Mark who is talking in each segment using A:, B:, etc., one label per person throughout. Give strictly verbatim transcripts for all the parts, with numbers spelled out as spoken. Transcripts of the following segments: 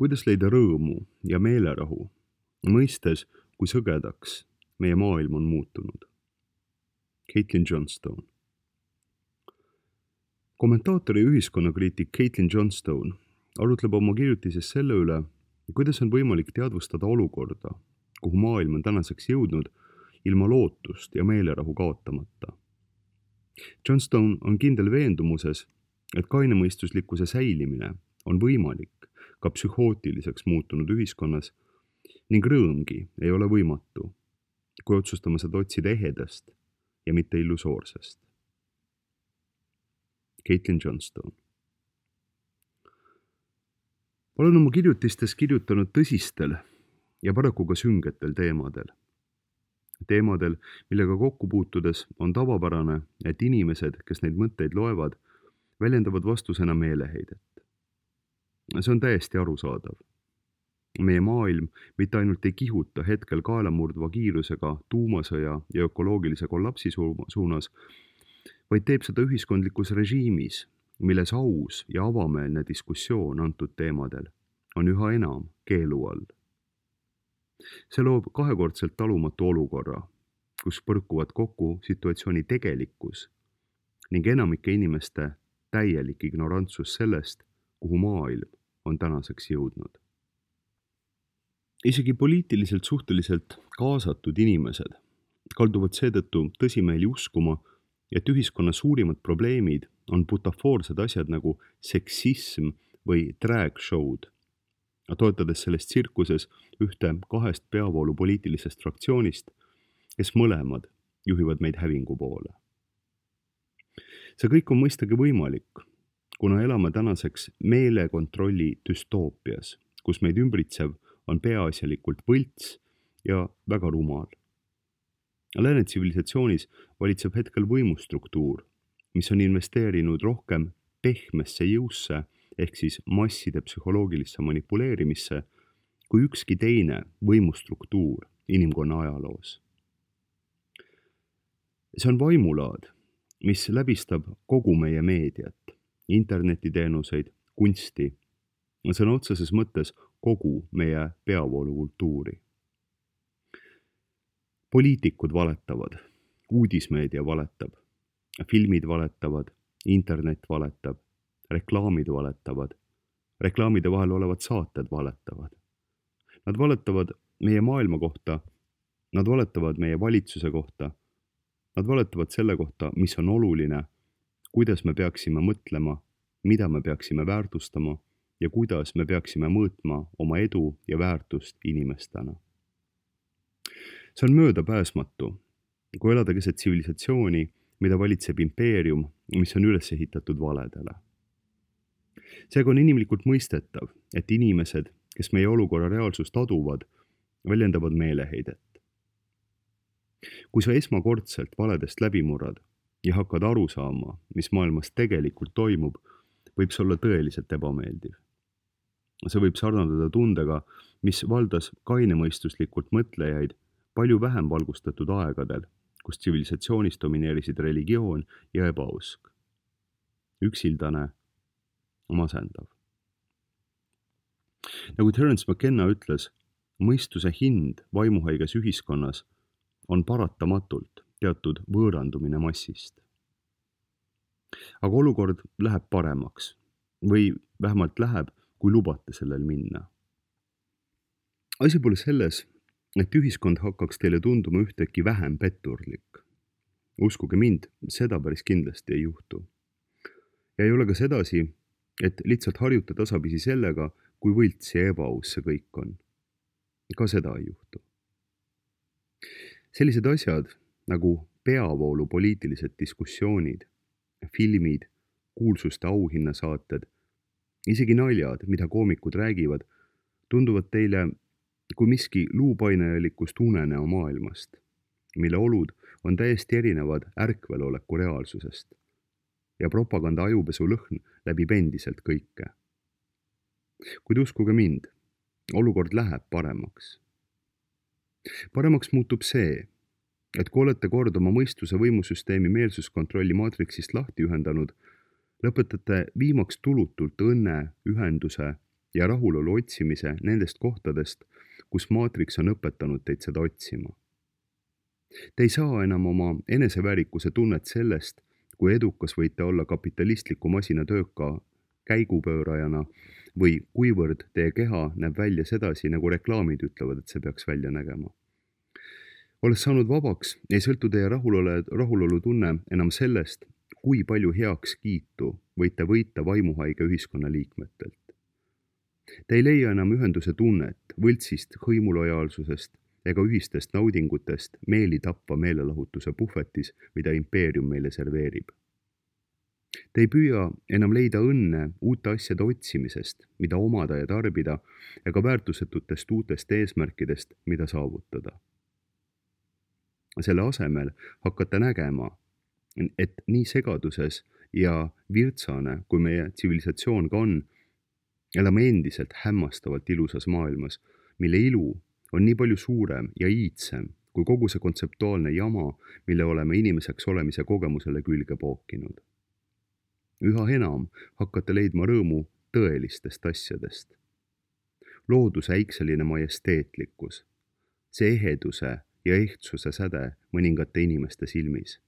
A: Kuidas leida rõõmu ja meelerahu, mõistes, kui sõgedaks meie maailm on muutunud? Caitlin Johnstone. Kommentaatori ja ühiskonnakriitik Caitlin Johnstone arutleb oma kirjutises selle üle, kuidas on võimalik teadvustada olukorda, kuhu maailm on tänaseks jõudnud ilma lootust ja meelerahu kaotamata. Johnstone on kindel veendumuses, et kainemõistuslikkuse säilimine on võimalik ka psühhootiliseks muutunud ühiskonnas ning rõõmgi ei ole võimatu, kui otsustame seda otsida ehedast ja mitte illusoorsest. Caitlin Johnstone. Olen oma kirjutistes kirjutanud tõsistel ja paraku ka süngetel teemadel. Teemadel, millega kokku puutudes on tavapärane, et inimesed, kes neid mõtteid loevad, väljendavad vastusena meeleheidet. See on täiesti arusaadav. Meie maailm mitte ainult ei kihuta hetkel kaelamurdva kiirusega tuumasõja ja ökoloogilise kollapsi suunas, vaid teeb seda ühiskondlikus režiimis, milles aus ja avameelne diskussioon antud teemadel on üha enam keelu all. See loob kahekordselt talumatu olukorra, kus põrkuvad kokku situatsiooni tegelikkus ning enamike inimeste täielik ignorantsus sellest, kuhu maailm on tänaseks jõudnud. Isegi poliitiliselt suhteliselt kaasatud inimesed kalduvad seetõttu tõsimeeli uskuma, et ühiskonna suurimad probleemid on butafoorsed asjad nagu seksism või drag show'd, toetades selles tsirkuses ühte kahest peavoolu poliitilisest fraktsioonist, kes mõlemad juhivad meid hävingu poole. See kõik on mõistagi võimalik, kuna elame tänaseks meelekontrolli düstoopias, kus meid ümbritsev on peaasjalikult võlts ja väga rumal. Lääne tsivilisatsionis valitseb hetkel võimustruktuur, mis on investeerinud rohkem pehmesse jõusse ehk siis masside psühholoogilisse manipuleerimisse kui ükski teine võimustruktuur inimkonna ajaloos. See on vaimulaad, mis läbistab kogu meie meediat, internetiteenuseid, kunsti, sõna otseses mõttes kogu meie peavoolukultuuri. Poliitikud valetavad, uudismeedia valetab, filmid valetavad, internet valetab, reklaamid valetavad, reklaamide vahel olevad saated valetavad. Nad valetavad meie maailma kohta, nad valetavad meie valitsuse kohta, nad valetavad selle kohta, mis on oluline, kuidas me peaksime mõtlema, mida me peaksime väärtustama ja kuidas me peaksime mõõtma oma edu ja väärtust inimestena. See on möödapääsmatu, kui elada keset tsivilisatsiooni, mida valitseb impeerium, mis on üles ehitatud valedele. Seega on inimlikult mõistetav, et inimesed, kes meie olukorra reaalsust aduvad, väljendavad meeleheidet. Kui sa esmakordselt valedest läbi murrad ja hakkad aru saama, mis maailmas tegelikult toimub, võib see olla tõeliselt ebameeldiv. See võib sarnadada tundega, mis valdas kainemõistuslikult mõtlejaid palju vähem valgustatud aegadel, kus tsivilisatsioonis domineerisid religioon ja ebausk. Üksildane, masendav. Nagu Terence McKenna ütles, mõistuse hind vaimuhaiges ühiskonnas on paratamatult teatud võõrandumine massist. Aga olukord läheb paremaks või vähemalt läheb, kui lubate sellel minna. Asi pole selles, et ühiskond hakkaks teile tunduma ühteki vähem petturlik. Uskuge mind, seda päris kindlasti ei juhtu. Ja ei ole ka sedasi, et lihtsalt harjuta tasapisi sellega, kui võlts ja ebaaus see kõik on. Ka seda ei juhtu. Sellised asjad nagu peavoolu poliitilised diskussioonid, filmid, kuulsuste auhinnasaated, isegi naljad, mida koomikud räägivad, tunduvad teile kui miski luupainejalikust unenäo maailmast, mille olud on täiesti erinevad ärkveloleku reaalsusest ja propaganda ajupesu lõhn läbib endiselt kõike. Kuid uskuge mind, olukord läheb paremaks. Paremaks muutub see, et kui olete kord oma mõistuse võimusüsteemi meelsuskontrolli maatriksist lahti ühendanud, lõpetate viimaks tulutult õnne, ühenduse ja rahulolu otsimise nendest kohtadest, kus maatriks on õpetanud teid seda otsima. Te ei saa enam oma eneseväärikuse tunnet sellest, kui edukas võite olla kapitalistliku masina tööka käigupöörajana või kuivõrd teie keha näeb välja sedasi, nagu reklaamid ütlevad, et see peaks välja nägema. Olles saanud vabaks, ei sõltu teie rahulolu, rahulolu tunne enam sellest, kui palju heaks kiitu võite võita vaimuhaige ühiskonna liikmetelt. Te ei leia enam ühenduse tunnet võltsist hõimulojaalsusest ega ühistest naudingutest meeli tappa meelelahutuse puhvetis, mida impeerium meile serveerib. Te ei püüa enam leida õnne uute asjade otsimisest, mida omada ja tarbida, ega väärtusetutest uutest eesmärkidest, mida saavutada. Selle asemel hakkate nägema, et nii segaduses ja virtsane, kui meie tsivilisatsioon ka on, elame endiselt hämmastavalt ilusas maailmas, mille ilu on nii palju suurem ja iidsem kui kogu see kontseptuaalne jama, mille oleme inimeseks olemise kogemusele külge pookinud. Üha enam hakkate leidma rõõmu tõelistest asjadest. Looduse äikseline majesteetlikkus, see eheduse ja ehtsuse säde mõningate inimeste silmis.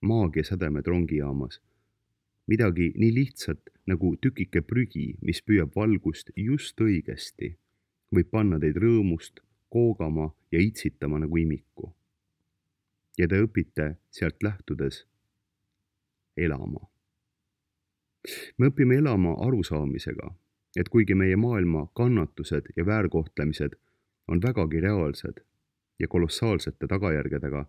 A: Maagia sädemed rongijaamas. Midagi nii lihtsat nagu tükike prügi, mis püüab valgust just õigesti, võib panna teid rõõmust koogama ja itsitama nagu imiku. Ja te õpite sealt lähtudes elama. Me õpime elama arusaamisega, et kuigi meie maailma kannatused ja väärkohtlemised on vägagi reaalsed ja kolossaalsete tagajärgedega,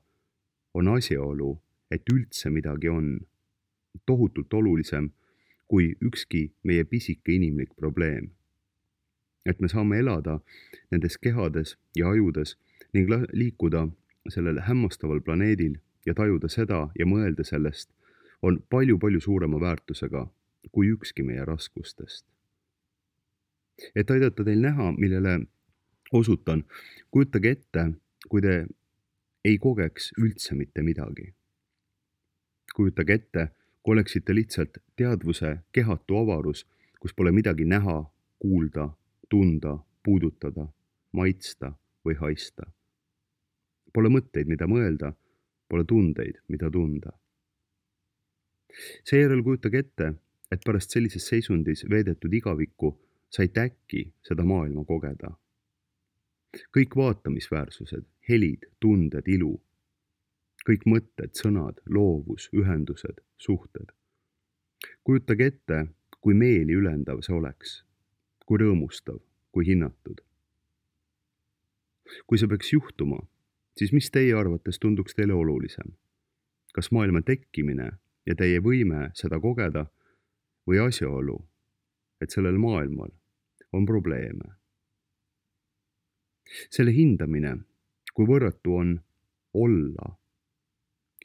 A: on asjaolu, et üldse midagi on tohutult olulisem kui ükski meie pisike inimlik probleem. Et me saame elada nendes kehades ja ajudes ning liikuda sellel hämmastaval planeedil ja tajuda seda ja mõelda sellest on palju-palju suurema väärtusega kui ükski meie raskustest. Et aidata teil näha, millele osutan, kujutage ette, kui te ei kogeks üldse mitte midagi. Kujutage ette, kui oleksite lihtsalt teadvuse kehatu avarus, kus pole midagi näha, kuulda, tunda, puudutada, maitsta või haista. Pole mõtteid, mida mõelda, pole tundeid, mida tunda. Seejärel kujutage ette, et pärast sellises seisundis veedetud igavikku saite äkki seda maailma kogeda. Kõik vaatamisväärsused, helid, tunded, ilu. Kõik mõtted, sõnad, loovus, ühendused, suhted. Kujutage ette, kui meeli ülendav see oleks, kui rõõmustav, kui hinnatud. Kui see peaks juhtuma, siis mis teie arvates tunduks teile olulisem? Kas maailma tekkimine ja teie võime seda kogeda või asjaolu, et sellel maailmal on probleeme? Selle hindamine, kui võrratu on olla,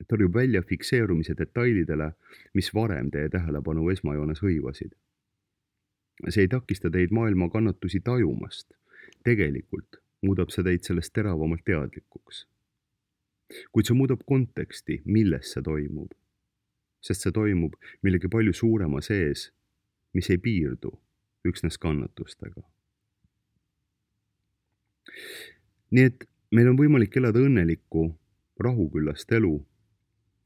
A: tõrjub välja fikseerumise detailidele, mis varem teie tähelepanu esmajoones hõivasid. See ei takista teid maailma kannatusi tajumast. Tegelikult muudab see teid sellest teravamalt teadlikuks. Kuid see muudab konteksti, milles see toimub. Sest see toimub millegi palju suurema sees, mis ei piirdu üksnes kannatustega. Nii et meil on võimalik elada õnnelikku, rahuküllast elu,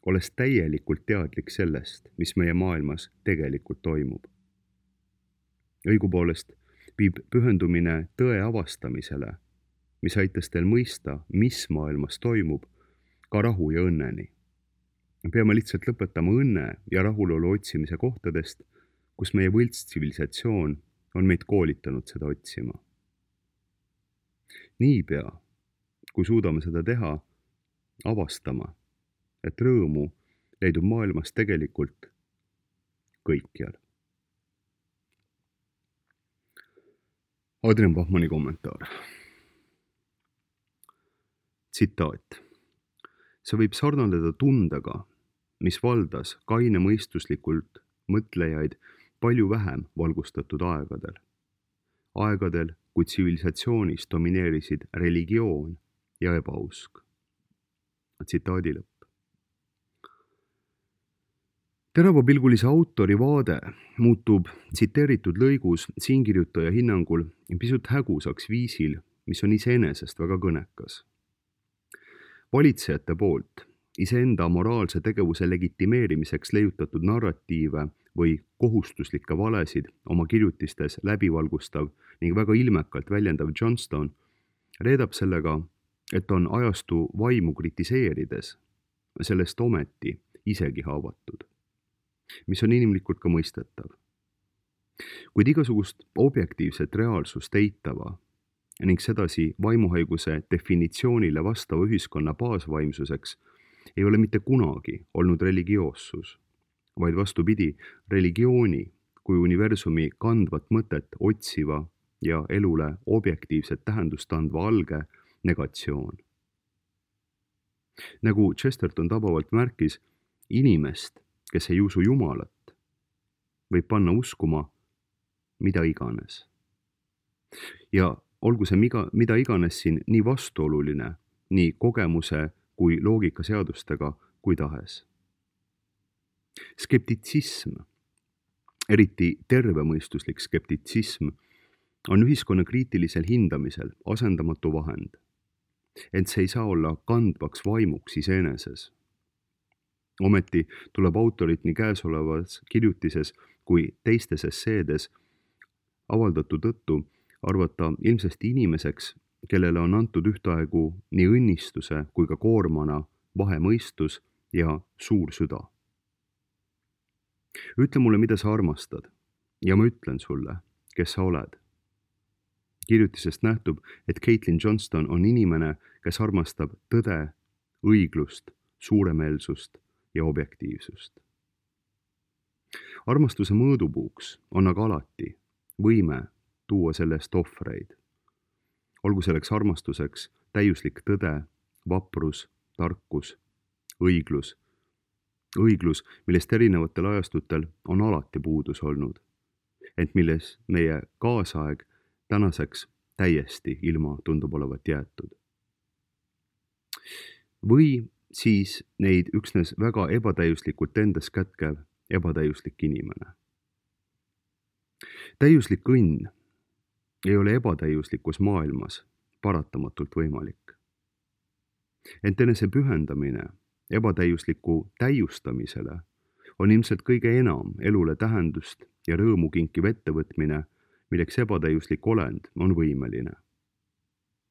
A: olles täielikult teadlik sellest, mis meie maailmas tegelikult toimub. Õigupoolest viib pühendumine tõe avastamisele, mis aitas teil mõista, mis maailmas toimub, ka rahu ja õnneni. Peame lihtsalt lõpetama õnne ja rahulolu otsimise kohtadest, kus meie võltstsivilisatsioon on meid koolitanud seda otsima. Niipea, kui suudame seda teha, avastama, et rõõmu leidub maailmas tegelikult kõikjal. Adrian Bachmanni kommentaar. Tsitaat. See võib sarnaneda tundega, mis valdas kaine mõistuslikult mõtlejaid palju vähem valgustatud aegadel. Aegadel, kui tsivilisatsioonis domineerisid religioon ja ebausk. Tsitaadi lõpp. Teravapilgulise autori vaade muutub tsiteeritud lõigus siinkirjutaja hinnangul pisut hägusaks viisil, mis on iseenesest väga kõnekas. Valitsejate poolt iseenda moraalse tegevuse legitimeerimiseks leiutatud narratiive või kohustuslikke valesid oma kirjutistes läbivalgustav ning väga ilmekalt väljendav Johnstone reedab sellega, et on ajastu vaimu kritiseerides sellest ometi isegi haavatud, mis on inimlikult ka mõistetav. Kuid igasugust objektiivset reaalsust eitava ning sedasi vaimuhaiguse definitsioonile vastava ühiskonna baasvaimsuseks ei ole mitte kunagi olnud religioossus, vaid vastupidi, religiooni kui universumi kandvat mõtet otsiva ja elule objektiivset tähendust andva alge negatsioon. Nagu Chesterton tabavalt märkis, inimest, kes ei usu Jumalat, võib panna uskuma mida iganes. Ja olgu see mida, mida iganes siin nii vastuoluline, nii kogemuse kui loogikaseadustega kui tahes. Skeptitsism, eriti tervemõistuslik skeptitsism, on ühiskonna kriitilisel hindamisel asendamatu vahend, ent see ei saa olla kandvaks vaimuks iseeneses. Ometi tuleb autorit nii käesolevas kirjutises kui teistes esseedes avaldatu tõttu arvata ilmsesti inimeseks, kellele on antud ühtaegu nii õnnistuse kui ka koormana vahemõistus ja suur süda. Ütle mulle, mida sa armastad, ja ma ütlen sulle, kes sa oled. Kirjutisest nähtub, et Caitlin Johnston on inimene, kes armastab tõde, õiglust, suuremeelsust ja objektiivsust. Armastuse mõõdupuuks on aga alati võime tuua sellest ohvreid. Olgu selleks armastuseks täiuslik tõde, vaprus, tarkus, õiglus, õiglus, millest erinevatel ajastutel on alati puudus olnud, ent milles meie kaasaeg tänaseks täiesti ilma tundub olevat jäetud. Või siis neid üksnes väga ebatäiuslikult endas kätkev ebatäiuslik inimene. Täiuslik õnn ei ole ebatäiuslikus maailmas paratamatult võimalik. Ent enese pühendamine ebatäiusliku täiustamisele on ilmselt kõige enam elule tähendust ja rõõmu kinkiv ettevõtmine, milleks ebatäiuslik olend on võimeline.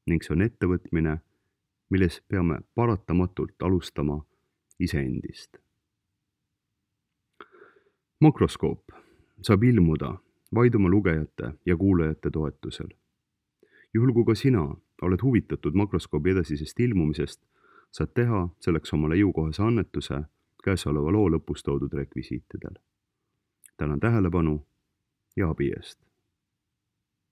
A: Ning see on ettevõtmine, milles peame paratamatult alustama iseendist. Makroskoop saab ilmuda vaid oma lugejate ja kuulajate toetusel. Juhul kui ka sina oled huvitatud makroskoobi edasisest ilmumisest, saad teha selleks omale jõukohase annetuse käesoleva loo lõpus toodud rekvisiitidel. Tänan tähelepanu ja abi eest.